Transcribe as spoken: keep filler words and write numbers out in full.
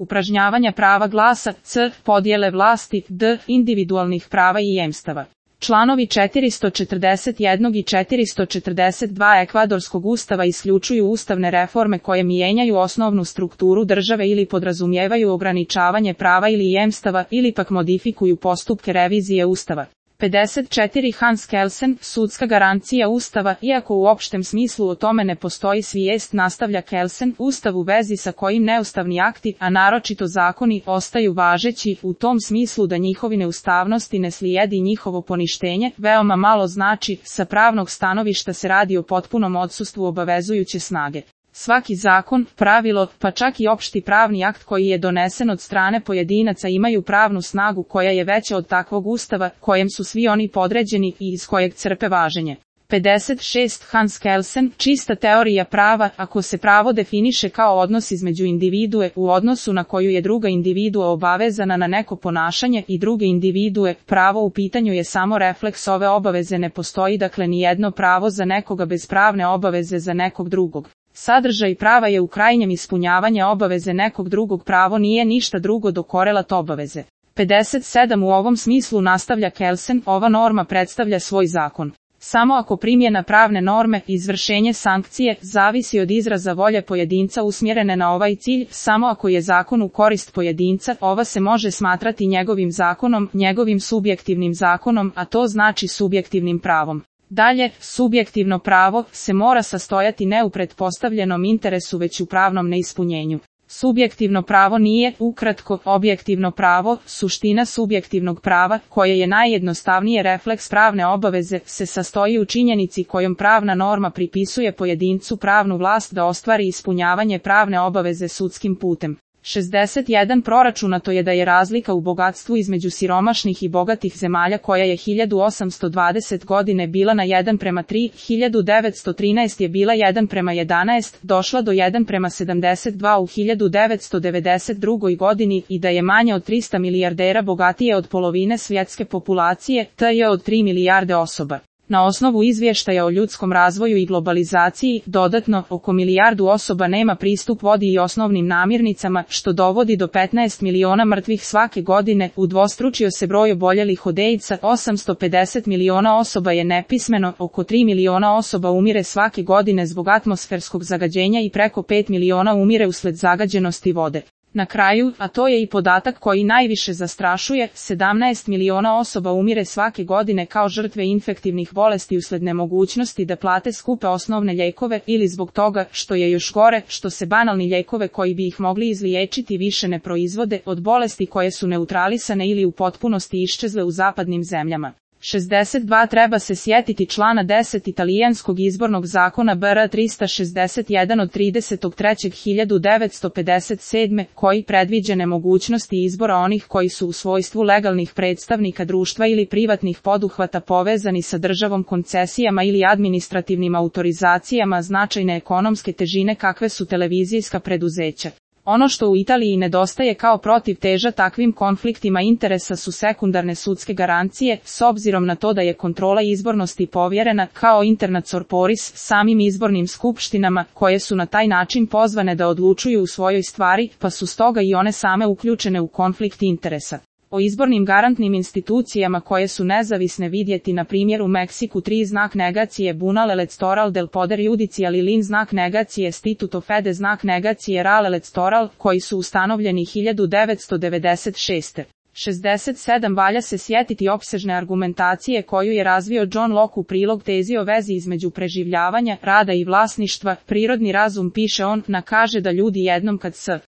upražnjavanja prava glasa, c. podjele vlasti, d. individualnih prava i jemstava. Članovi četiristo četrdeset jedan i četiristo četrdeset dva Ekvadorskog ustava isključuju ustavne reforme koje mijenjaju osnovnu strukturu države ili podrazumijevaju ograničavanje prava ili jemstava ili pak modifikuju postupke revizije ustava. pedeset četiri Hans Kelsen, sudska garancija Ustava. Iako u opštem smislu o tome ne postoji svijest, nastavlja Kelsen, Ustav u vezi sa kojim neustavni akti, a naročito zakoni, ostaju važeći, u tom smislu da njihovi neustavnosti ne slijedi njihovo poništenje, veoma malo znači, sa pravnog stanovišta se radi o potpunom odsustvu obavezujuće snage. Svaki zakon, pravilo, pa čak i opšti pravni akt koji je donesen od strane pojedinaca imaju pravnu snagu koja je veća od takvog ustava, kojem su svi oni podređeni i iz kojeg crpe važenje. pedeset šest Hans Kelsen, čista teorija prava. Ako se pravo definiše kao odnos između individue u odnosu na koju je druga individua obavezana na neko ponašanje i druge individue, pravo u pitanju je samo refleks ove obaveze, ne postoji dakle ni jedno pravo za nekoga bez pravne obaveze za nekog drugog. Sadržaj prava je u krajnjem ispunjavanje obaveze nekog drugog, pravo nije ništa drugo do korelat obaveze. pedeset sedam U ovom smislu, nastavlja Kelsen, ova norma predstavlja svoj zakon. Samo ako primjena pravne norme, izvršenje sankcije, zavisi od izraza volje pojedinca usmjerene na ovaj cilj, samo ako je zakon u korist pojedinca, ova se može smatrati njegovim zakonom, njegovim subjektivnim zakonom, a to znači subjektivnim pravom. Dalje, subjektivno pravo se mora sastojati ne u pretpostavljenom interesu već u pravnom neispunjenju. Subjektivno pravo nije, ukratko, objektivno pravo. Suština subjektivnog prava, koje je najjednostavnije refleks pravne obaveze, se sastoji u činjenici kojom pravna norma pripisuje pojedincu pravnu vlast da ostvari ispunjavanje pravne obaveze sudskim putem. šezdeset jedan Proračunato je da je razlika u bogatstvu između siromašnih i bogatih zemalja koja je hiljadu osamsto dvadesete godine bila na jedan prema tri, hiljadu devetsto trinaeste je bila jedan prema jedanaest, došla do jedan prema sedamdeset dva u hiljadu devetsto devedeset drugoj godini i da je manje od trista milijardera bogatije od polovine svjetske populacije, to je od tri milijarde osoba. Na osnovu izvještaja o ljudskom razvoju i globalizaciji, dodatno, oko milijardu osoba nema pristup vodi i osnovnim namirnicama, što dovodi do petnaest miliona mrtvih svake godine, udvostručio se broj oboljelih od AIDS-a, osamsto pedeset miliona osoba je nepismeno, oko tri miliona osoba umire svake godine zbog atmosferskog zagađenja i preko pet miliona umire usled zagađenosti vode. Na kraju, a to je i podatak koji najviše zastrašuje, sedamnaest miliona osoba umire svake godine kao žrtve infektivnih bolesti usled nemogućnosti da plate skupe osnovne lijekove ili zbog toga, što je još gore, što se banalni lijekove koji bi ih mogli izliječiti više ne proizvode, od bolesti koje su neutralisane ili u potpunosti iščezle u zapadnim zemljama. šezdeset dva Treba se sjetiti člana deset italijanskog izbornog zakona B R trista šezdeset jedan od tridesetog trećeg hiljadu devetsto pedeset sedme koji predviđa nemogućnosti izbora onih koji su u svojstvu legalnih predstavnika društva ili privatnih poduhvata povezani sa državom koncesijama ili administrativnim autorizacijama značajne ekonomske težine kakve su televizijska preduzeća. Ono što u Italiji nedostaje kao protivteža takvim konfliktima interesa su sekundarne sudske garancije, s obzirom na to da je kontrola izbornosti povjerena, kao interna corporis, samim izbornim skupštinama, koje su na taj način pozvane da odlučuju u svojoj stvari, pa su stoga i one same uključene u konflikt interesa. O izbornim garantnim institucijama koje su nezavisne vidjeti na primjer u Meksiku tri znak negacije Bunal electoral del poder judicial i lin znak negacije Statuto fede znak negacije ral electoral, koji su ustanovljeni hiljadu devetsto devedeset šeste. šezdeset sedam Valja se sjetiti opsežne argumentacije koju je razvio John Locke u prilog tezi o vezi između preživljavanja, rada i vlasništva. Prirodni razum, piše on, nakaže da ljudi jednom kad s